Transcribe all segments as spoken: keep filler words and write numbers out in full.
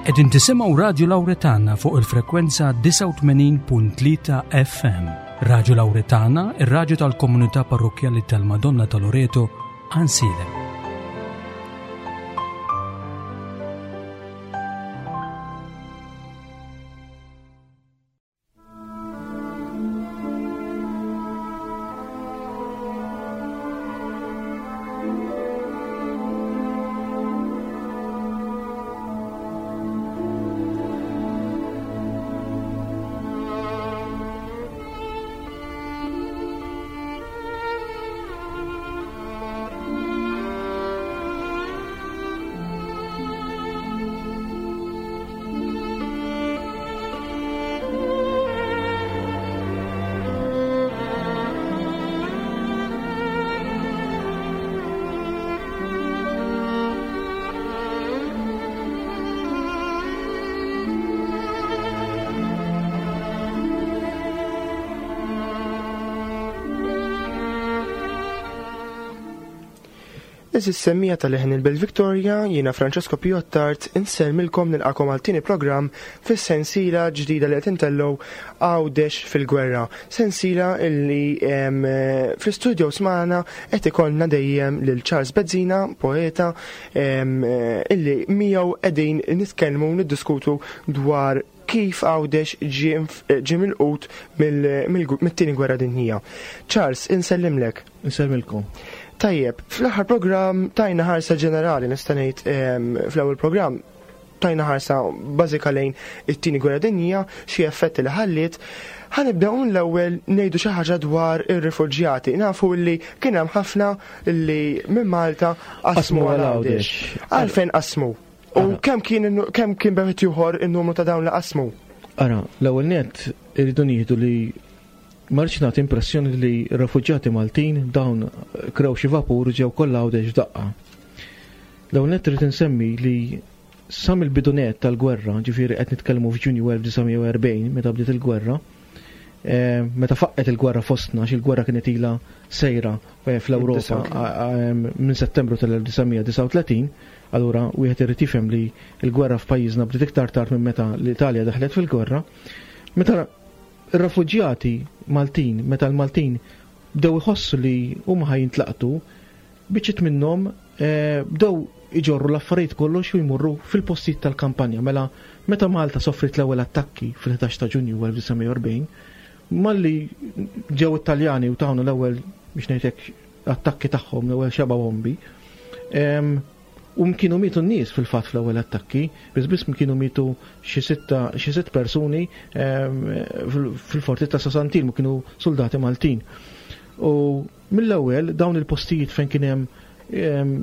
Qegħdin tisimgħu Radio Lauretana fuq il-frekwenza disgħa u tmenin punt tlieta F M. Radio Lauretana, ir-radju tal-Komunità Parrokkjali tal-Madonna ta' Loreto, Għajnsielem. Eżis semmija tal-leħen il-Belt Victoria, jiena Francesco Piottart, insellmilkom nilqakom għal tieni programm fis-sensiela ġdida li qed intellgħu Għawdex fil-Gwerra. Sensiela illi, em, fl-istudio smana qed ikollna dejjem lil Charles Bezzina, poeta, em, illi miegħu qegħdin nitkellmu u niddiskutu dwar kif Għawdex ġie inf-, ġie milqut mill-, mill-, mit-tieni gwerra dinjija. Charles, insellimlek. Insellmilkom. Tajjeb, fl-aħħar programm tajna ħarsa ġenerali, nista' ngħid, em, fl-ewwel programm tajna ħarsa bażika lejn it-tieni gwerra dinjija, xi effetti li ħalliet. Ħanibdew mill-ewwel ngħidu xi ħaġa dwar ir-rifuġjati. Nafu li kien hemm ħafna li minn Malta qasmu Qasmu għal għal Għawdex. Għawdex. Għalfejn qasmu? U Ara. kemm kien innu-, kemm kien beħet ieħor in-numru ta' dawn li qasmu? Ara, l-ewwel nett irridu nieħdu li ma rridx nagħti impressjoni li r-refuġjati Maltin dawn krew xi vapur ġew kollha Għawdex f'daqqa. L-ewwel nett irrid insemmi li sa mill-bidu nett tal-gwerra, ġifieri qed nitkellmu f'Ġunju elf disa' mija u erbgħin meta bdiet il-gwerra, eh, meta faqqet il-gwerra fostna, għax il-gwerra kienet ilha sejra, eh, fl-Ewropa, Id-disa' a-, a-, minn Settembru tal-elf disa' mija disa' u tletin, allura wieħed irid jifhem li l-gwerra f'pajjiżna bdiet iktar tard minn meta l-Italja daħlet fil-gwerra. Meta ir-refuġjati Maltin, meta l-Maltin bdew iħossu li huma ħajintlaqtu, biċċiet minnhom, eh, bdew iġorru l-affarijiet kollox u jmorru fil-postijiet tal-kampanja. Mela meta Malta soffrit l-ewwel attakki fil-ħdax ta' Ġunju elf disa' mija u erbgħin, malli ġew it-Taljani u tawna l-ewwel, biex ngħidlek, attakki tagħhom, l-ewwel xeba bombi, em, u kienu mietu n-nies fil-fatt fl-ewwel attakki, biss biss kienu mietu xi sitta, xi sitt persuni, em, fil-, fil-forti ta' Sasantil, mu kienu soldati Maltin. U mill-ewwel dawn il-postijiet fejn kien hemm, em,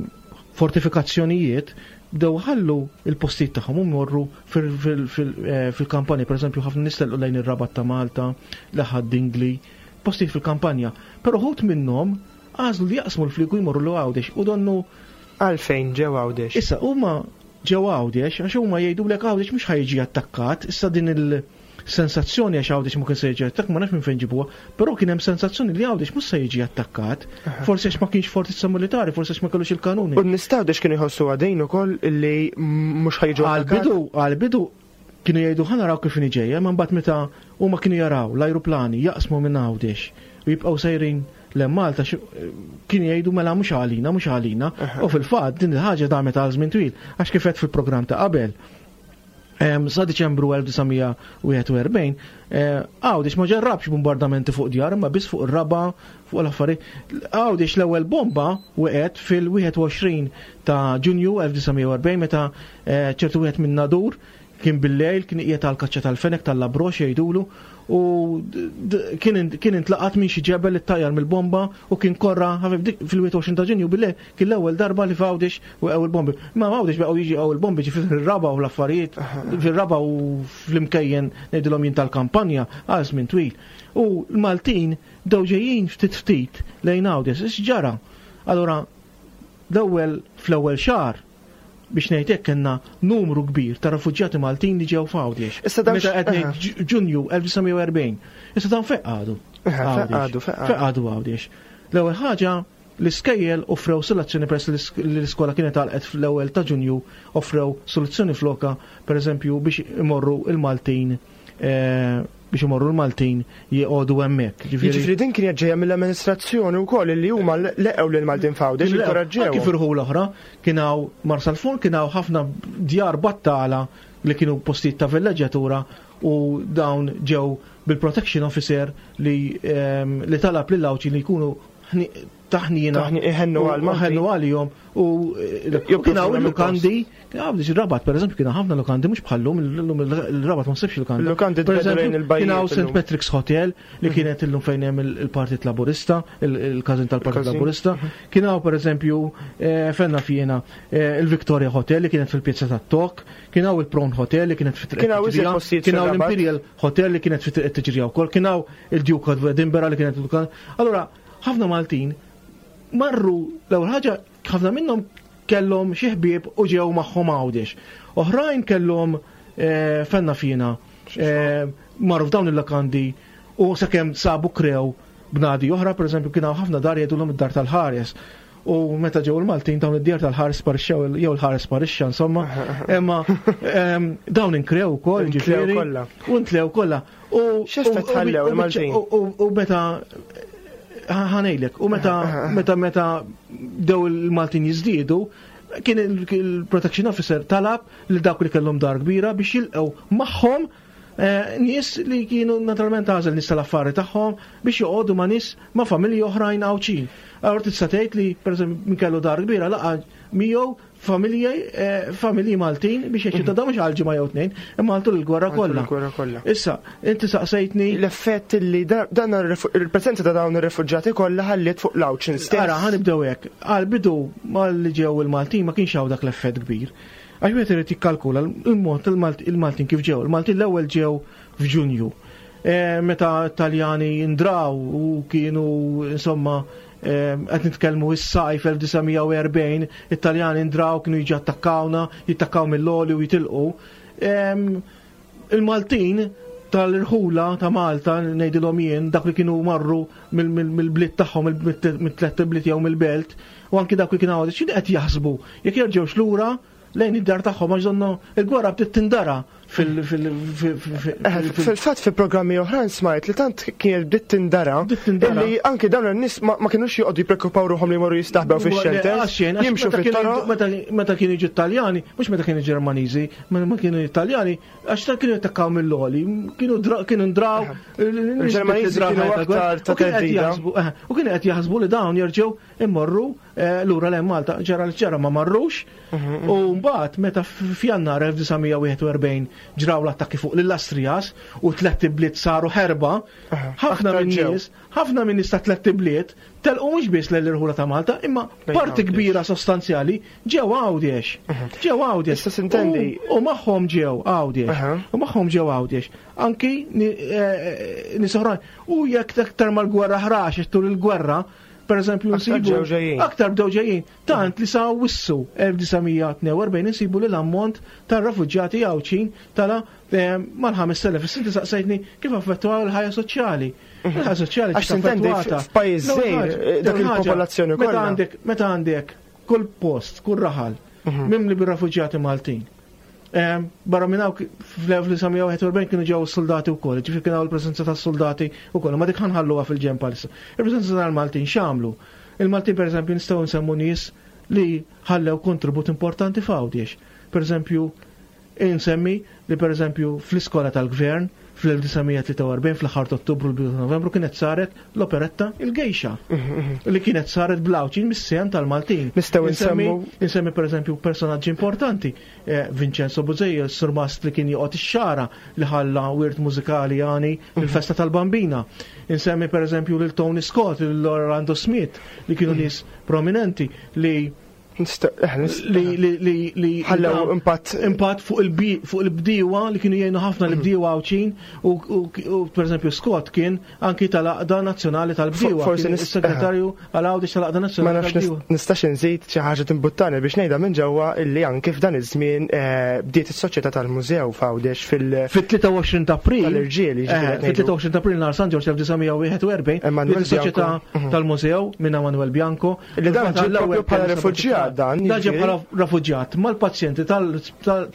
fortifikazzjonijiet bdew ħallu il-postijiet tagħhom u morru fil-, fil-, fil-, eh, fil-kampanja, pereżempju ħafna nies telqu lejn ir-Rabat ta' Malta, l-Aħad Dingli, postijiet fil-kampanja. Però ħut minnhom għażlu li jaqsmu l-fliegu jmorru l Għawdex u donnu Għalfejn ġew Għawdex? Issa huma ġew Għawdex għax huma jgħidulek Għawdex mhux ħajġi attakkat, issa din il-sensazzjoni għax Għawdex ma kien se jiġi attakkat, ma nafx minn fejn ġibuha, però kien hemm sensazzjoni li Għawdex mhux se jiġi attakkat, Aha. forsi għax ma kienx fortizza militari, forsi għax ma kellux il-kanuni. U n-nies ta' Għawdex kienu jħossu għadejn ukoll li mhux ħajġu attakkat? Għal-bidu, għal-bidu kienu jgħidu ħa naraw kif inhi ġejja, ma mbagħad meta huma kienu jaraw l-ajruplani jaqsmu minn Għawdex u jibqgħu sejrin le Malta, xi-, kienu jgħidu mela mhux għalina, mhux għalina. Aha. U fil-fatt din il-ħaġa damet għal żmien twil, għax kif qed fil-programm ta' qabel. Em, sa Diċembru elf disa' mija u wieħed u erbgħin, eh, Għawdex ma ġarrabx bombardamenti fuq djar, imma biss fuq ir-raba, fuq l-affarijiet. Għawdex l-ewwel bomba wieqgħet fil-wieħed u għoxrin ta' Ġunju elf disa' mija u erbgħin meta, eh, ċertu wieħed minn Nadur kien bil-lejl, kien qiegħed għall-kaċċa tal-fenek tal-labrox jgħidulu, u d-, d-, kien in-, kien intlaqat minn xi ġebel li ttajjar mill-bomba u kien korra ħafif dik fil-wieħed u għoxrin ta' Ġunju bil-lejl kien l-ewwel darba li f'Għawdex waqgħu il-bombi. Ma f'Għawdex baqgħu jiġi għaw il-bombi ġifieri fir-raba u l-affarijiet, fir-raba u fl-imkejjen ngħidilhom jien tal-kampanja għal żmien twil. U l-Maltin bdew ġejjin ftit ftit lejn Għawdex, x'ġara? Allura l-ewwel fl-ewwel xahar biex ngħid hekk kellna numru kbir ta' refuġjati Maltin li ġew f'Għawdex. Issa dawn Meta qed ngħid Aha. Ġ-, Ġunju elf disa' mija u erbgħin. Issa dawn fejn qagħdu? Aha, fejn Għawdex. qagħdu, fejn Fejn qagħdu Għawdex. L-ewwel ħaġa L-iskejjel offrew soluzzjoni peress li l-iskola kienet għalqet fl-ewwel ta' Ġunju, offrew soluzzjoni floka, pereżempju biex imorru il-Maltin eh, biex imorru l-Maltin jgħodu hemmhekk. Jiġifieri din kienet ġejja mill-amministrazzjoni wkoll li huma leqgħu lil Maltin f'Għawdex inkoraġġew. Kif irħu l-oħra, kien hawn Marsalforn, kien hawn ħafna djar battala li kienu postijiet ta' villeġġjatura u dawn ġew bil-protection officer li ehm, li talab lil Għawdxin li jkunu taħnina ħennu għal għalihom u kien hawn il-lukandi, kien Rabat pereżempju kien ħafna lukandi mhux bħallum illum il-Rabat ma nsibx lukandi. Lukandi kien hawn Saint Patrick's Hotel li kienet illum fejn hemm il-Partit Laburista, il-każin tal-Partit Laburista. Kien hawn pereżempju fenna fjena il-Victoria Hotel li kienet fil-Pjazza tat-Tok, kien hawn il-Prawn Hotel li kienet fit-Triq kien hawn l-Imperial Hotel li kienet fit-Triq Tiġrija wkoll, kien hawn il-Duke of Edinburgh li kienet il-lukanda. Allura ħafna Maltin marru l-ewwel ħaġa ħafna minnhom kellhom xi ħbieb u ġew magħhom Għawdex. Oħrajn kellhom fenna fina marru f'dawn il-lokandi u sakemm sabu krew bnadi oħra, pereżempju kien hawn ħafna dar jgħidulhom id-dar tal-ħares. U meta ġew il-Maltin dawn id-djar tal-ħares sparixxew jew il-ħares sparixxa insomma, imma dawn inkrew ukoll ġifieri. U ntlew kollha. U x'effett ħallew il-Maltin? U meta ħanejlek, u meta meta meta dew il-Maltin jiżdiedu, kien il-protection officer talab li dawk li kellhom dar kbira biex jilqgħu magħhom nies li kienu naturalment għażel nies tal-affari tagħhom biex joqogħdu ma' nies ma' familji oħrajn Għawdxin. Allura tista' tgħid li pereżempju min kellu dar kbira laqa' miegħu familji familji Maltin biex jgħixu ta' dawn mhux għal ġimgħa jew tnejn, imma għal tul il-gwerra kollha. Issa, inti saqsejtni l-effett li dan il-preżenza ta' dawn ir-refuġġati kollha ħalliet fuq l-Għawdxin stess. Ara, ħanibdew hekk. Għal bidu mal-li ġew il-Maltin ma kienx hawn dak l-effett kbir. Għax wieħed irid jikkalkula il-mod il-Maltin kif ġew. Il-Maltin l-ewwel ġew f'Ġunju. Meta Taljani ndraw u kienu insomma qed nitkellmu is-sajf elf disa' mija u erbgħin, it-Taljani ndraw kienu jiġu attakkawna, jittakkaw mill-oli u jitilqu. Il-Maltin tal-irħula ta' Malta, ngħidilhom jien, dak li kienu marru mill-bliet tagħhom, mit-tliet bliet jew mill-belt, u anki dak li kienu għawdex, x'inhi qed jaħsbu? Jekk jerġgħux lura lejn id-dar tagħhom għax donna il-gwerra bdiet tindara fil- fil- fil- fil- Fil-fatt fi programmi oħrajn smajt li tant kienet bdiet tindara illi anke dawn in-nies ma kinux joqogħdu jippreokkupaw ruħhom li jmorru jistaħbew fix-xelters, jimxu fit-toroq. Meta kienu jiġu Taljani, mhux meta kienu Ġermaniżi, ma kienu Taljani, għax ta' kienu jattakkaw mill-oli, kienu kienu ndraw, Il-Ġermaniżi kienu aktar ta' teddida. U kienu qed jaħsbu li dawn jerġgħu immorru lura lejn Malta, ġara li ġara ma marrux. U mbagħad meta f'Jannar elf disa' mija wieħed u erbgħin ġraw l-attakki fuq lill-Astrijas u tliet ibliet saru ħerba, ħafna minn nies, ħafna minn nies ta' tliet ibliet telqu mhux biss lejn l-irħula ta' Malta, imma parti kbira sostanzjali ġew Għawdex. Ġew Għawdex. Issa sintendi. U magħhom ġew Għawdex. U magħhom ġew Għawdex. Anki nies oħrajn. U jekk aktar mal-gwerra ħrax tul il-gwerra, per eżempju, nsibu aktar bdew ġejjin. Tant li sa wissu elf disa' mija tnejn u erbgħin insibu li l-ammont tar-refuġġjati Għawdxin tala mal-ħames elef. Issa inti saqsejtni kif affettwaw il-ħajja soċjali. Il-ħajja soċjali Għax sintendi f'pajjiż żgħir dak il-popolazzjoni kollha. Meta għandek, meta għandek kull post, kull raħal mimli bir-refuġjati Maltin. Barra minn hawn fl-elf disa' mija wieħed u erbgħin kienu ġew soldati wkoll, ġifieri kien hawn il-preżenza tas-soldati wkoll, ma dik ħanħalluha fil-ġenb għalissa. Il-preżenza tal-Maltin x'għamlu? Il-Maltin pereżempju nistgħu nsemmu nies li ħallew kontribut importanti f'Għawdex. Pereżempju, insemmi li pereżempju fl-iskola tal-gvern fl-elf disa' mija tlieta u erbgħin fl-aħħar ta' Ottubru l-bidu ta' Novembru kienet saret l-operetta Il-Gejxa li kienet saret bl-Għawdxin mis-sehem tal-Maltin. Nistgħu Insemmi nsemmu insemmi pereżempju personaġġi importanti, eh, Vincenzo Bużejja, s-surmast li kien joqgħod ix-xara li ħalla wirt mużikali għani il-festa tal-Bambina. Insemmi pereżempju lil Tony Scott, lil Orlando Smith li kienu nies prominenti li Li li li li ħallew impatt impatt fuq il fuq il-bdiewa li kienu jgħinu ħafna l-bdiewa Għawdxin u, u pereżempju Scott kien anki tal-Għaqda Nazzjonali tal-Bdiewa. Forsi is-segretarju għal Għawdex tal-Għaqda Nazzjonali tal-Bdiewa. Ma nafx nistax inżid xi ħaġa timbuttani biex ngħidha minn ġewwa illi anki f'dan iż-żmien eh, bdiet is-soċjetà tal-mużew f'Għawdex fil- Fit-tlieta u għoxrin ta' April. Tal-irġiel, jiġifieri Eh, fit-tlieta u għoxrin ta' April nhar San Ġorġ elf disa' mija wieħed u erbgħin, Emanuel bdiet is-soċjetà Bianco. Mhm. tal-mużew minn Emanuel Bianco. Li dan ġie L-ewwel propju bħala kellu refuġjat dan, Dan ġie jiġifieri. bħala refuġjat mal-pazjenti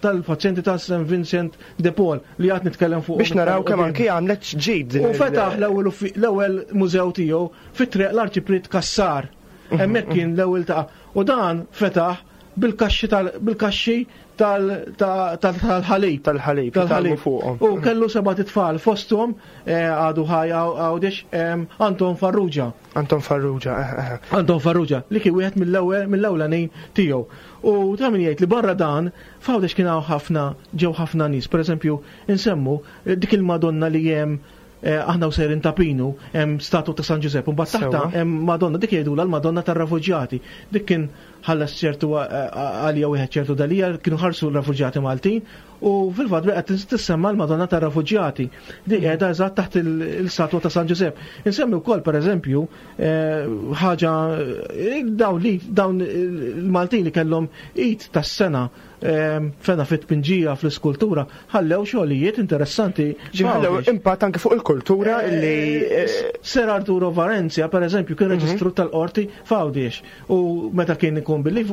tal-pazjenti ta' Saint Vincent de Paul li għad nitkellem fuq. Biex naraw kemm anki għamlet ġid din U il- fetaħ l-ewwel uffi-, l-ewwel mużew tiegħu fit-triq l-Arċipriet Cassar. Hemmhekk kien l-ewwel ta' u dan fetaħ bil-kaxxi tal-, bil-kaxxi tal-, ta-, tal-, tal-ħalib. Tal-ħalib, Tal-ħalib. jitgħallmu fuqhom. U kellu seba' tfal fosthom, eh, għadu ħaj Għawdex, em, Anton Farrugia. Anton Farrugia, eh, eh. Anton Farrugia, li kien wieħed mill-ewwel, mill-ewlenin tiegħu. U ta' min jgħid li barra dan, f'Għawdex kien hawn ħafna, ġew ħafna nies. Per eżempju, insemmu, eh, dik il-Madonna li hemm, eh, aħna u sejrin ta' Pinu, hemm statwa ta' San Giuseppe, u mbagħad taħta Sewwa. hemm Madonna, dik jgħidulha l-Madonna tar-Refuġjati. Dik kien ħallas ċertu, eh, għalija wieħed ċertu dalija, kienu ħarsu l-refuġjati Maltin, u fil-fatt baqgħet tissemma l-Madonna tar-Refuġjati. Dik qiegħda eżatt taħt il-, il-statwa ta' San Giuseppe. Insemmi wkoll pereżempju, eh, ħaġa, eh, dawn li dawn il-Maltin li kellhom id tas-sena, ehm, fena fit-tpinġija fl-iskultura, ħallew xogħlijiet interessanti. Ġi ħallew Għawdex. impatt anke fuq il-kultura illi, eh, Ser Arturo Varenzia, per eżempju, kien Mhm. reġistru tal-qorti f'Għawdex. U meta kien ikun billi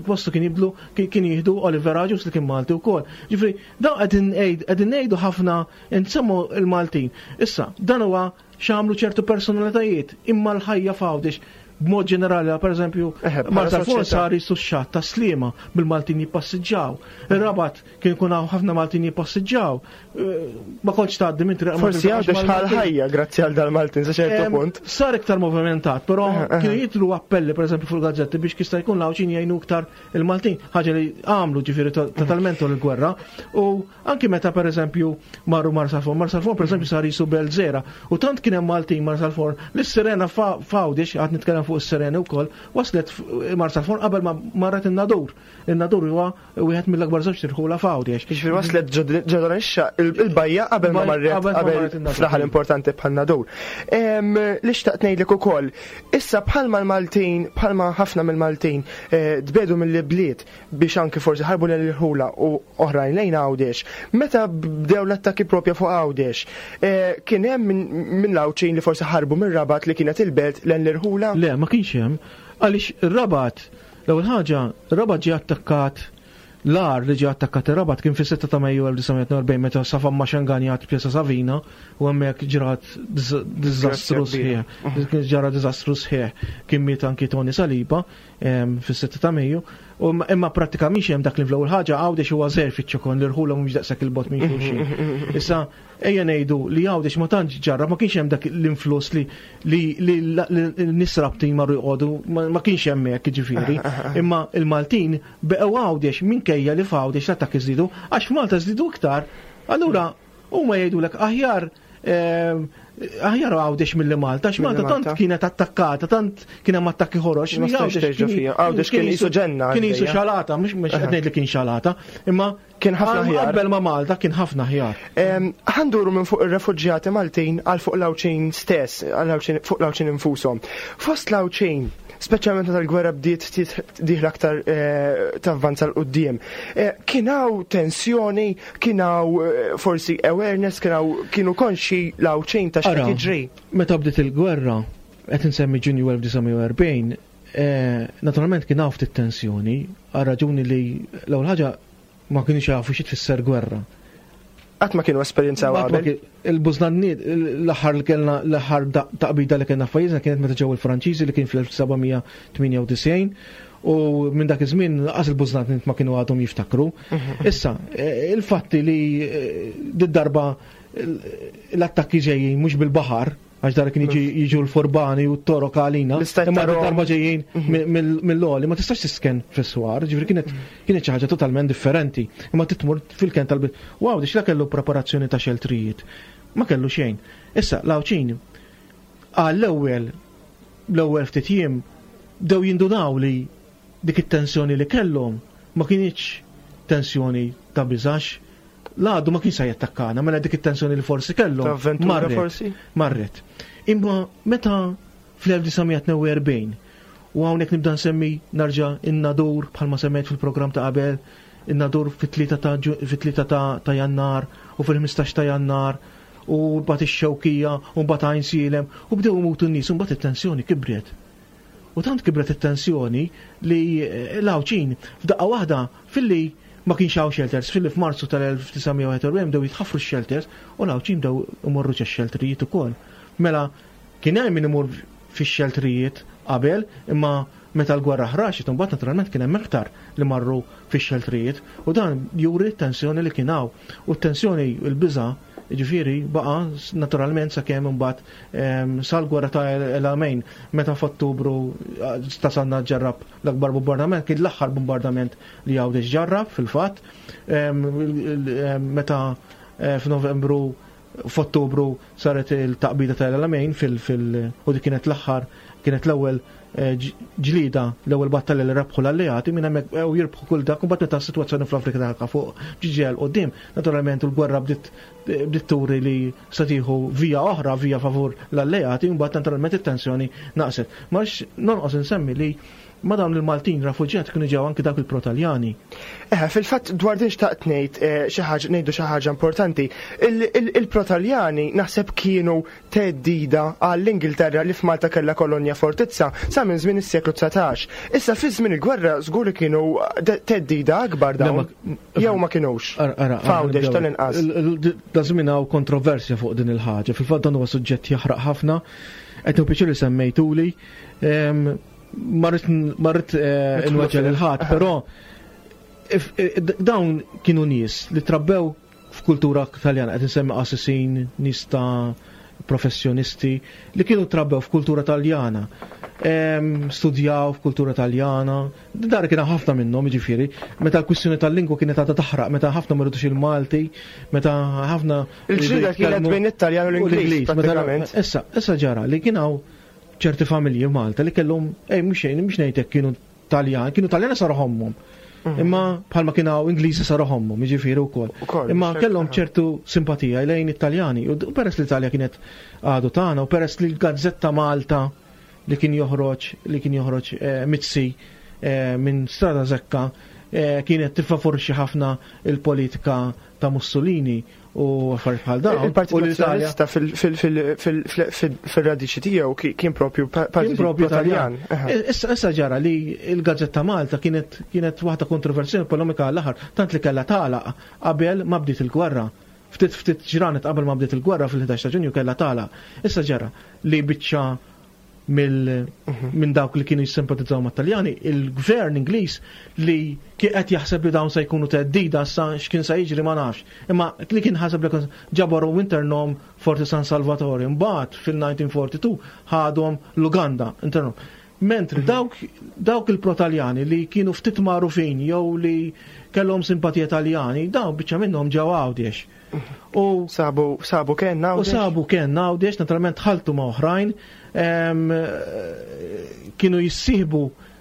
postu kien jiblu, kien, kien jieħdu Oliver Agius li kien Malti wkoll. Ġifieri, dawn qegħdin ngħid, qegħdin ngħidu ħafna nsemmu il-Maltin. Issa, dan huwa x'għamlu ċertu personalitajiet, imma l-ħajja f'Għawdex b'mod ġenerali, per eżempju, Eħe, bħala Marsalforn soċjetà. sar jisu x-xatt ta' Sliema bil-Maltin jippassiġġaw. Ir-Rabat kien ikun hawn ħafna Maltin jippassiġġaw. Eh, ma kontx tgħaddi minn triq ma Forsi tiltaqax Għawdex ħal mal-Maltin. ħajja grazzi għal dal-Maltin sa ċertu Em, punt. Sar iktar movimentat, però Eħe, eħe. kienu jitlu appelli per eżempju fuq gazzetti biex kista jkun l-Għawdxin jgħinu iktar il-Maltin, ħaġa li għamlu ġifieri to-, totalment tul il-gwerra. U anki meta per eżempju marru Marsalforn, Marsalforn per eżempju sar jisu Belzera, u tant kien hemm Maltin Marsalforn li s-Sirena fa-, f'Għawdex, għad nitkellem fuq is-Sirene wkoll, waslet f-, Marsalforn qabel ma marret in-Nadur. In-Nadur huwa wieħed mill-akbar żewġ tirħula f'Għawdex. Jiġifieri waslet ġod-, ġodon ix-xa, il-, il-bajja qabel ma Bajja marret qabel ma qabel marret in-Nadur. fl-aħħar importanti bħal Nadur. Em, li xtaqt ngħidlek ukoll, issa bħalma l-Maltin, bħalma ħafna mill-Maltin, eh, tbedu mill-bliet biex anki forsi ħarbu lejn il-ħula u oħrajn lejn Għawdex, meta bdew l-attakki propja fuq Għawdex, eh, kien hemm minn, minn l-Għawdxin li forsi ħarbu mir-Rabat li kienet il-belt lejn l-irħula? Le, ma kienx hemm, għaliex ir-Rabat, l-ewwel ħaġa, ir-Rabat ġie attakkat, l-ar li ġie attakkat ir-Rabat kien fis-sitta ta' Mejju elf disa' mija tnejn u erbgħin meta Safa Maxangani għad Pjazza Savina u hemmhekk ġrat diż-, diżastru Grazzja kbira. sħiħ. Kien ġara diżastru sħiħ. Kien miet anki Tony Saliba, em, fis-sitta ta' Mejju. U ma-, imma prattikament hemm dak li fl-ewwel ħaġa Għawdex huwa żgħir fiċ-ċokon li rħula mhux daqshekk il-bot minn xulxin. Issa ejja ngħidu li Għawdex ma tantx ġarra, ma kienx hemm dak l-influss li, li, li l-nies Rabtin marru jqogħdu, ma, ma kienx hemm hekk jiġifieri. Imma il-Maltin beqgħu Għawdex minkejja li f'Għawdex l-attakki żdiedu, għax f'Malta żdiedu iktar. Allura huma jgħidulek aħjar, ehm, aħjar Għawdex milli Malta, għax Milli Malta tant Malta. kienet attakkata, tant kien hemm attakki ħorox, Ma li stax Għawdex terġa' kien fija. Għawdex kien jisu jisu ġenna Kien jisu għaddejja. xalata, mhux mhux qed ngħid li kien xalata, imma Kien ħafna għal- aħjar. Qabel ma Malta kien ħafna aħjar. Em, ħanduru minn fuq ir-refuġjati Maltin għal fuq l-Għawdxin stess, għal Għawdxin, fuq l-Għawdxin infushom. Fost l-Għawdxin, speċjalment meta l-gwerra bdiet ftit dieħla aktar, eh, tavvanza 'l quddiem. Eh, kien hawn tensjoni, kien hawn, eh, forsi awareness, kien hawn, kienu konxi l-Għawdxin ta' x'qed Ara, jiġri. Meta bdiet il-gwerra, qed insemmi Ġunju elf disa' mija u erbgħin, eh, naturalment kien hawn ftit tensjoni, għal raġuni li l-ewwel ħaġa ma kienux jafu xi tfisser gwerra. Qatt ma kienu esperjenzaw Qatt ma qabel. kien- il-Bużnanniet, l-aħħar li kellna, l-aħħar da-, taqbida li kellna f'pajjiżna kienet meta ġew il-Franċiżi li kien fl-elf seba' mija tmienja u disgħin, u minn dak iż-żmien lanqas il-Bużnanniet ma kienu għadhom jiftakru. Issa, eh, il-fatti li, eh, did-darba l-attakki ġejjin mhux bil-baħar, għax dar kien jiġi, jiġu l-forbani u t-torok għalina, L-istat imma ta' Rom. darba ġejjin mi-, mill-, mill-oli, ma tistax tisken fis-swar, ġifieri kienet, kienet xi ħaġa totalment differenti. Imma titmur fil-ken tal-bit. Wow, dix la kellu preparazzjoni ta' xeltrijiet. Ma kellu xejn. Issa, l-Għawdxin, għall-ewwel, l-ewwel ftit jiem, bdew jindunaw li dik it-tensjoni li kellhom ma kinitx tensjoni ta' biżax, l-għadu ma kienx se jattakkana, mela dik it-tensjoni li forsi kellhom marret. Forsi? Marret. Imma meta fl-elf disa' mija tnejn u erbgħin, u hawnhekk nibda nsemmi narġa' in-Nadur bħalma semmejt fil-programm ta' qabel, in-Nadur fit-tlieta ta' ġu-, fit-tlieta ta', ta' Jannar u fil-ħmistax ta' Jannar, u mbagħad ix-Xewkija, u mbagħad Għajnsielem, u bdew imutu n-nies, u mbagħad it-tensjoni kibret. U tant kibret it-tensjoni li l-Għawdxin f'daqqa waħda filli ma kienx hawn shelters, filli f'Marzu tal-elf disa' mija wieħed u erbgħin bdew jitħaffru x-shelters u l-Għawdxin bdew imorru ġex-shelterijiet ukoll. Mela kien hemm min imur fix-shelterijiet qabel, imma meta l-gwerra ħraxet, imbagħad naturalment kien hemm iktar li marru fix-shelterijiet, u dan juri t-tensjoni li kien hawn. U t-tensjoni, il-biża', ġifieri, baqa' naturalment sakemm imbagħad, ehm, sal-gwerra ta' El Alamein, meta f'Ottubru tasanna ġarrab l-akbar bombardament, kien l-aħħar bombardament li Għawdex ġarrab fil-fatt, ehm, il-, ehm, meta, eh, f'Novembru, f'Ottubru saret il-taqbida ta' El Alamein fil-, fil-, u dik kienet l-aħħar, kienet l-ewwel, eh, ġ-, ġlida, l-ewwel battalja li rebħu l-alleati, minn hemmhekk u jirbħu kull dak, u mbagħad meta s-sitwazzjoni fl-Afrika ta' fuq ġiġel quddiem, naturalment il-gwerra bdiet, bdiet turi li se tieħu via oħra, via favur l-alleati, u mbagħad naturalment it-tensjoni naqset. Ma rridx nonqos insemmi li ma dawn il-Maltin rafuġjati kienu ġew anki dawk il-Protaljani. Eh, fil-fatt dwar din xtaqt ngħid, eh, xi ħaġa, ngħidu xi ħaġa importanti. Il-, il-, il-Protaljani naħseb kienu teddida għall-Ingilterra li f'Malta kellha kolonja fortizza sa minn żmien is-seklu dsatax. Issa fi żmien il-gwerra żgur li kienu de-, teddida akbar dawn. Le, ma- Jew ma kinux. Ara, ara, ara, F'Għawdex nibdew. tal-inqas. Il-, il-, da żmien hawn kontroversja fuq din il-ħaġa. Fil-fatt dan huwa suġġett jaħraq ħafna. Qed nieħu pjaċir li semmejtuli. Ehm, ma rrid, ma rrid, eh, Nidħlu inweġġel fil- il-ħadd, però if, eh, d-, dawn kienu nies li trabbew f'kultura Taljana, qed insemmi qassisin, nies ta' professjonisti li kienu trabbew f'kultura Taljana, ehm, studjaw f'kultura Taljana, dar kien ħafna minnhom, jiġifieri, meta l-kwistjoni tal-lingwa kienet għadha taħraq, meta ħafna ma rridux il-Malti, meta ħafna Il-ġlieda kienet jitkellmu bejn it-Taljan u u l-Ingliż, l-Ingliż, meta pratikament. Issa, issa ġara li kien hawn ċerti familji f'Malta li kellhom, ej, mhux xejn, mhux ngħidlek kienu Taljan, kienu Taljani saru ħommhom. Mhm. Imma bħalma kien hawn Ingliżi saru ħommhom, jiġifieri wkoll. Ukoll, Imma xejn, kellhom aha. ċertu simpatija lejn it-Taljani. U d-, u peress li l-Italja kienet għadu tagħna, u peress li l-Gazzetta Malta li kien joħroġ, li kien joħroġ, eh, Mizzi, eh, minn Strada Zekka, eh, kienet tiffavorixxi ħafna il-politika ta' Mussolini u affarijiet bħal dawn. Il-Partit U l-Italja Nazzjonalista fil-, fil-, fil-, fil-, fil-, fil-, fil-radiċi tiegħu ki-, kien propju pa-, Kien Partit propju Taljan. Taljan. Aha. E, issa, issa ġara li l-Gazzetta Malta kienet, kienet waħda kontroversjali polemika għall-aħħar, tant li kellha tagħlaq qabel ma bdiet il-gwerra. Ftit, ftit ġranet qabel ma bdiet il-gwerra fil-ħdax ta' Ġunju kellha tagħlaq. Issa ġara li biċċa mill-, Mhm. minn dawk li kienu jissimpatizzaw mat-Taljani, il-gvern Ingliż li kien qed jaħseb li dawn se jkunu teddida sa x'kien se jiġri ma nafx. Imma li kien ħaseb li kien ġabaru internom Forti San Salvatore, imbagħad fil-nineteen forty-two ħadhom l-Uganda internom. Mentri Mhm. dawk, dawk il-Protaljani li kienu ftit magħrufin jew li kellhom simpatija Taljani, dawn biċċa minnhom ġew Għawdex. U sabu, sabu kien U Għawdex? sabu kien Għawdex, naturalment ħaltu ma' oħrajn, em, kienu jissieħbu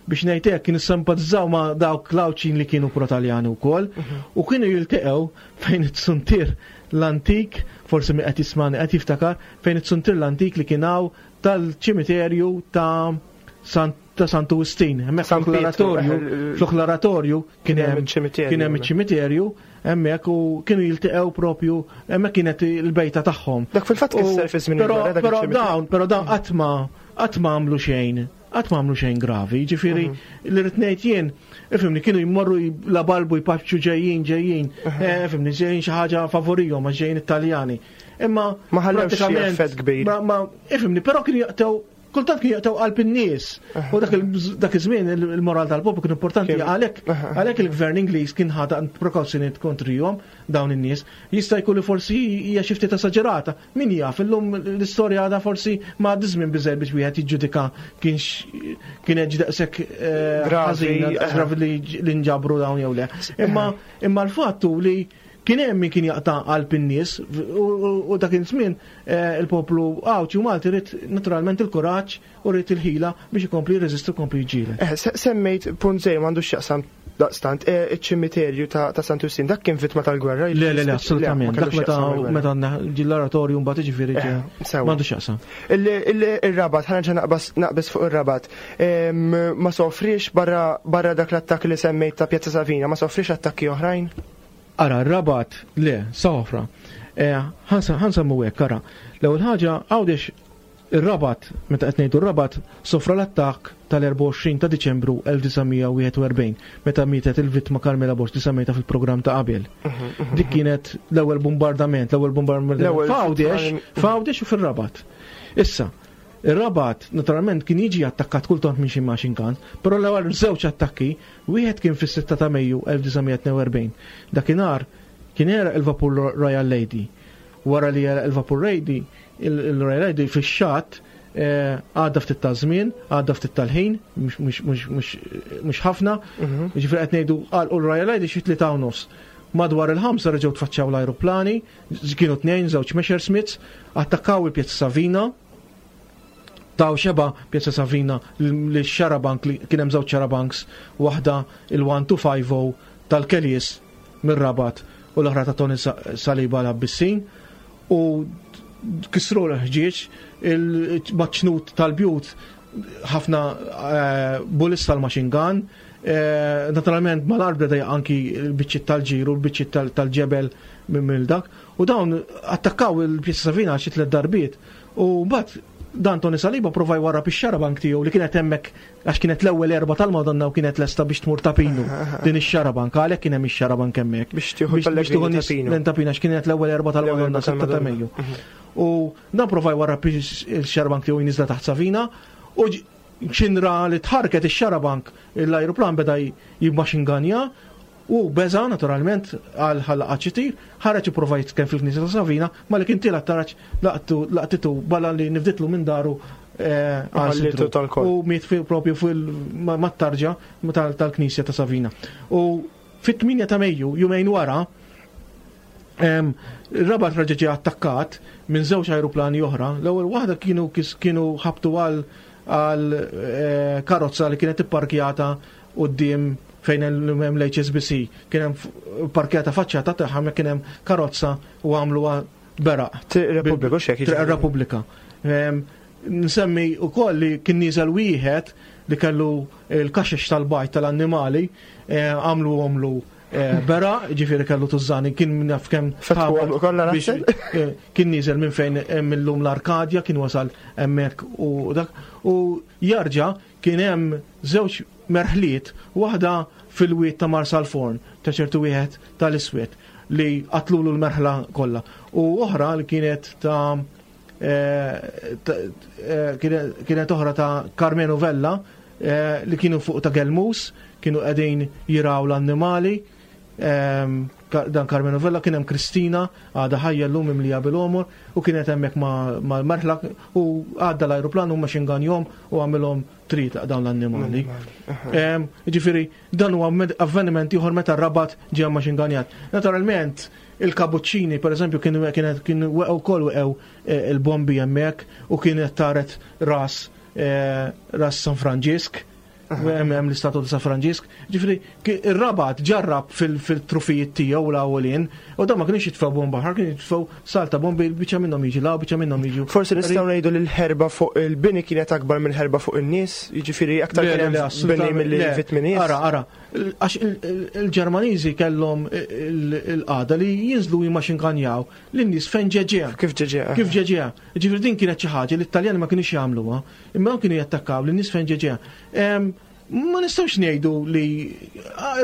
biex ngħid hekk, kienu simpatizzaw ma' dawk l-Għawdxin li kienu Protaljani wkoll, Mhm. u kienu jiltaqgħu fejn it-suntier l-antik, forsi mi qed jismani qed jiftakar, fejn it-suntier l-antik li kien hawn tal-ċimiterju ta' San-, ta' Santu Wistin. Hemmhekk San Pietro, fl-oratorju, eh, fl-oratorju kien kien hemm hemm iċ-ċimiterju, kien hemm hemmhekk. iċ-ċimiterju hemmhekk u kienu jiltaqgħu propju hemmhekk kienet il-bejta tagħhom. Dak fil-fatt U kisser fi żmien però il-gwerra, dak però iċ-ċimiterju. dawn, però dawn qatt ma, qatt ma għamlu xejn, qatt ma għamlu xejn gravi, jiġifieri Mhm. li rrid ngħid jien, ifhimni, kienu jmorru j-, la balbu jpaċċu ġejjin, ġejjin, Mhm. eh, ifhimni, ġejjin xi ħaġa favorihom għax ġejjin Italjani. Imma Ma ħallewx xi pratikament effett kbir. Ma, ma, ifhimni, però kienu jaqtgħu kultant kien jaqtgħu qalb in-nies. U dak il-, dak iż-żmien il-, il-moral tal-poplu kien importanti, Kien- għalhekk, Aha. għalhekk il-gvern Ingliż kien ħa prekawzjonijiet kontrihom dawn in-nies. Jista' jkun li forsi hija xi ftit esaġerata. Min jaf, illum l-istorja għadha forsi ma għaddi żmien biżejjed biex wieħed jiġġudika kienx kien hekk daqshekk, eh, Gravi, ħażin, aha. gravi li, li nġabru dawn jew le. Imma, imma l-fatt hu li Kien hemm min kien jaqta' qalb in-nies u dak iż-żmien il-poplu Għawdxi u Malti ried naturalment il-kuraġġ u ried il-ħila biex ikompli jirreżisti u jkompli jiġġieled. Semmejt punt żgħir m'għandux x'jaqsam daqstant, iċ-ċimiterju ta' Santu Wistin, dak kien vittma tal-gwerra? Le, le, le, assolutament. Dak meta meta ġie l-oratorju mbagħad jiġifieri m'għandux x'jaqsam. Ir-Rabat, ħa nerġa' naqbeż fuq ir-Rabat. Ma sofrix barra dak l-attakk li semmejt ta' Pjazza Savina, ma sofrix attakki oħrajn? Ara, r-Rabat, le, sofra. Ħa nsemmu hekk, ara. L-ewwel ħaġa, Għawdex ir-Rabat, meta qed ngħidu r-Rabat, sofra l-attakk tal-erbgħa u għoxrin ta' Diċembru elf disa' mija wieħed u erbgħin, meta mietet il-vittma Carmela Borg li semmejtha fil-programm ta' qabel. Dik kienet l-ewwel bombardament, l-ewwel bombardament f'Għawdex, f'Għawdex u fir-Rabat. Issa, ir-Rabat naturalment kien jiġi attakkat kultant minn xi machine gun, però l-ewwel żewġ attakki, wieħed kien fis-sitta ta' Mejju elf disa' mija tnejn u erbgħin. Dakinhar kien għeraq il-vapur Royal Lady. Wara li għeraq il-vapur Lady, il-Royal Lady fix-xatt, eh, għadda ftit ta' żmien, għadda ftit tal-ħin, mhux ħafna, Mhm. jiġifieri qed ngħidu għalqu l-Royal Lady xi tlieta u nofs. Madwar il-ħamsa reġgħu tfaċċaw l-ajruplani, kienu tnejn, żewġ Messerschmitts, attakkaw il-Pjazza Savina, taw xeba Pjazza Savina li xarabank li kien hemm żewġ xarabanks, waħda il-one two five oh tal-Kelis mir-Rabat u l-oħra ta' Tony Saliba l-Abbissin, u kisru l-ħġieġ, il-maċnut tal-bjut, ħafna, eh, bullets tal-machine gun, eh, naturalment mal-art beda anki l-biċċiet tal-ġiru, l-biċċiet tal-, tal-ġebel minn dak, u dawn attakkaw il-Pjazza Savina xi tliet darbiet, u mbagħad dan Tony Saliba prova jwarrab ix-xarabank tiegħu li kienet hemmhekk għax kienet l-ewwel erba' tal-Madonna u kienet lesta biex tmur ta' Pinu din ix-xarabank, għalhekk kien hemm ix-xarabank hemmhekk. Biex tieħu Biex l-Pellegrini tieħu ta' nies Pinu. lejn ta' Pinu għax kienet l-ewwel erba' tal-Madonna L-ewwel erba' sitta ta' tal-Madonna. Mejju. Mhm. U dan prova jwarrab ix-xarabank tiegħu jinżla taħt Savina u ġ-, xinra li tħarket ix-xarabank l-ajruplan beda j-, jimmaxinganja u beża naturalment għal ħalla ċitir, ħareġ ipprova jitkellem fil-Knisja ta' Savina, ma li kien tiela taraġ laqtu, laqtitu bala li nifditlu minn daru, eh, għal Ħallitu sidru. tal-kol. U miet fi-, propju fil-, ma-, mat-tarġa tal-, tal-Knisja ta' Savina. U fit-tminja ta' Mejju, jumejn wara, em, ir-Rabat raġa ġie attakkat minn żewġ ajruplani oħra. L-ewwel waħda kienu kis-, kienu ħabtu għal, għal, eh, karozza li kienet ipparkjata quddiem fejn hemm l-H S B C. Kien hemm f-, parkjata faċċata tagħha, ma kien hemm karozza u għamluha beraq. Triq Repubblika, u x'hekk Triq jiġifieri? Repubblika. Em, nsemmi wkoll li kien nieżel wieħed li kellu l-kaxex tal-bajt tal-annimali, eh, għamlu għamlu, eh, bera, ġifieri kellu tużani, kien min jaf kemm Fetħu ħabat għamlu kollha biex, naħseb? eh, kien nieżel minn fejn hemm illum l-Arkadja, kien wasal hemmhekk u dak, u jarġa' kien hemm żewġ merħliet, waħda fil-wied ta' Marsalforn, ta' ċertu wieħed tal-Iswed li qatlulu l-merħla kollha, u oħra li kienet ta', eh, ta, eh, kienet, kienet oħra ta' Carmenu Vella, eh, li kienu fuq ta' Gelmus, kienu qegħdin jiraw l-annimali. Ehm, Ka-, dan Carmenu Vella kien hemm Kristina għadha ħajja llum imlija bil-għomor u kienet hemmhekk ma-, mal-merħla u għadda l-ajruplan u machine gun jom u għamilhom trit dawn l-annimali. L-annimali, Ehm, jiġifieri dan huwa med-, avveniment ieħor meta r-Rabat ġie machine gunjat. Naturalment il-Kabuċċini pereżempju kienu kienet kienu weqgħu wkoll weqgħu, eh, il-bombi hemmhekk u kienet taret ras, eh, ras San Franġisk. Hemm hemm l-istatwa ta' San Franġisk. Ġifieri, ki-, ir-Rabat ġarrab fil-, fil-trufijiet tiegħu l-ewwelin, u dan ma kienx jitfgħu bomba ħar, kien jitfgħu salta bombi, biċċa minnhom jiġi law, biċċa minnhom jiġu. Forsi nistgħu ngħidu li l-ħerba fuq il-bini kienet akbar mill-ħerba fuq in-nies, jiġifieri aktar Le, kien le, hemm le, bini assolutament, milli le. vittmi nies. Ara, ara, għax il-, il-, il-Ġermaniżi kellhom il-, il-qagħda li jinżlu jimmaxinkanjaw lin-nies fejn ġeġeha. Kif ġeġeha? Kif ġeġeha. Ġifieri din kienet xi ħaġa li t-Taljani ma kinux jagħmluha, imma kienu jattakkaw lin-nies fejn ġeġeha. Em, ma nistgħux ngħidu li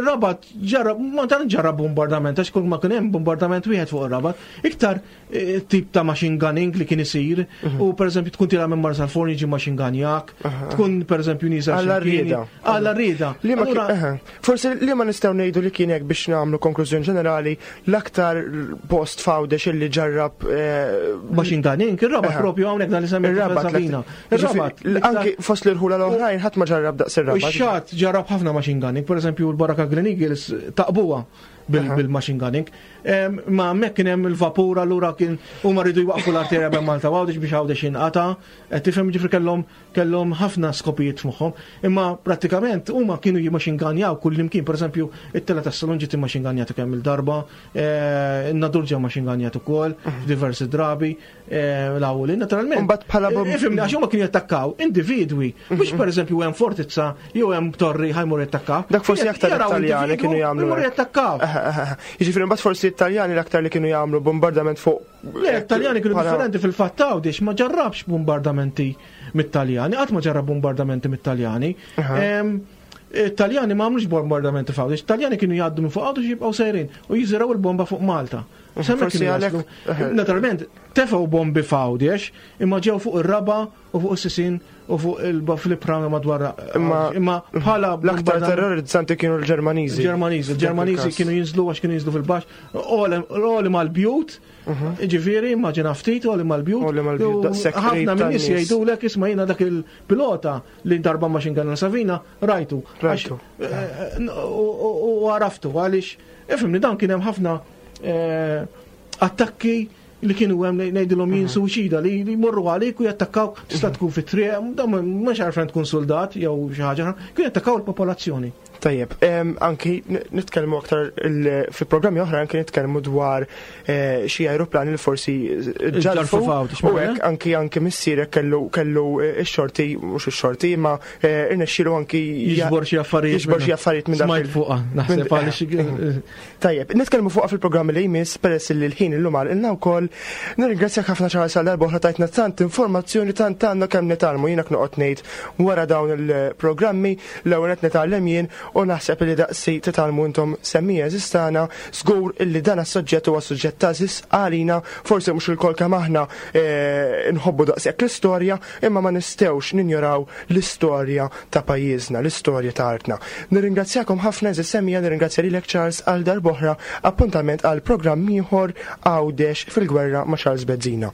Rabat ġarrab, ma tant ġarrab bombardament, għax kull ma kien hemm bombardament wieħed fuq ir-Rabat, iktar, eh, tip ta' machine gunning li kien isir, Mhm. u pereżempju tkun tilha minn Marsalforn jiġi machine gunjak, Aha. tkun pereżempju nieżel Alla xi mkien. rieda. Alla rieda. Li ma Allura kien, aha. Forsi li ma nistgħu ngħidu li kien hekk biex nagħmlu konklużjoni ġenerali, l-aktar post f'Għawdex illi ġarrab, eh, machine gunning, ir-Rabat Aha. propju hawnhekk dan li semmejt Ir-Rabat, Sabina. l-aktar. Ir-Rabat, Ġifieri, anki fost l-irħula l-oħrajn ħadd ma ġarrab daqs ir-Rabat. Ix-xatt ġarrab ħafna machine gunning, pereżempju l-Baraka Green Eagles taqbuha bil-machine gunning. Ma hemmhekk kien hemm il-vapur, allura kien huma rridu jwaqfu l-arterja bejn Malta u Għawdex biex Għawdex jinqata. Tifhem, ġifri kellhom kellhom ħafna skopijiet f'moħħhom. Imma prattikament huma kienu jimachine gunjaw kull imkien, pereżempju it-tela tas-salon ġiet immachine gunjat kemm il-darba, in-Nadur ġew machine gunjat ukoll f'diversi drabi, l-awli naturalment. Imbagħad bħala Ifhimni, għax huma kienu jattakkaw individwi, mhux pereżempju hemm fortizza jew hemm torri ħa jmur jattakkaw. Dak forsi aktar Italjani kienu jagħmlu. Jmur jattakkaw. Jiġifieri mbagħad forsi Italjani l-aktar li kienu jagħmlu bombardament fuq. Le, Italjani kienu differenti fil-fatt, Għawdex ma ġarrabx bombardamenti mit-Taljani, qatt ma ġarrab bombardamenti mit-Taljani. Italjani ma għamlux bombardamenti f'Għawdex, Italjani kienu jgħaddu minn fuq Għawdex, jibqgħu sejrin u jiżiraw il-bomba fuq Malta. Forsi għalhekk. Naturalment, tefgħu bombi f'Għawdex, imma ġew fuq ir-raba u fuq is-sisin u fuq il-flipra madwar. Imma bħala l-aktar terrorizzanti kienu l-Ġermaniżi. Ġermaniżi, il-Ġermaniżi kienu jinżlu għax kienu jinżlu fil-baxx, għoli mal-bjut, ġifieri, immaġina ftit, għoli mal-bjut. Ħafna minn nies jgħidulek, isma', jiena dak il-pilota li darba machine gun Savina rajtu. Rajtu. U għaraftu għaliex, ifhimni, dan kien hemm ħafna attakki li kienu hemm, ngħidilhom jien, suċida li jmorru għalik u jattakkaw, tista' tkun fit-triq, dan mhux għarfen tkun soldat jew xi ħaġa, kienu jattakkaw il-popolazzjoni. Tajjeb, anki nitkellmu aktar fi programmi oħra, anki nitkellmu dwar eh, xi aeroplani li forsi ġarfu u hekk, anki anki missierek kellu kellu eh, ix-xorti, mhux ix-xorti, imma eh, irnexxielu anki jiġbor xi affarijiet. Jiġbor xi affarijiet minn dak. Smajt fuqha, naħseb għaliex. Tajjeb, nitkellmu fuqha fil-programmi li jmiss, peress li l-ħin illum għalqilna wkoll. Nirringrazzjak ħafna, Charles, għal darba oħra tajtna tant informazzjoni, tant għandna kemm nitgħallmu. Jiena noqgħod ngħid, wara dawn il-programmi l-ewwel qed nitgħallem jien u naħseb li daqsi titgħallmu intom, semmiegħa għeżież tagħna. Żgur illi dan is-suġġett huwa suġġett għażiż għalina, forsi mhux ilkoll kemm aħna eh, nħobbu daqshekk l-istorja, imma ma nistgħux ninjoraw l-istorja ta' pajjiżna, l-istorja ta' artna. Nirringrazzjakom ħafna, għeżież semmiegħa, nirringrazzja lilek, Charles, għal darb'oħra. Appuntament għal programm ieħor, Għawdex fil-gwerra ma' Charles Bezzina.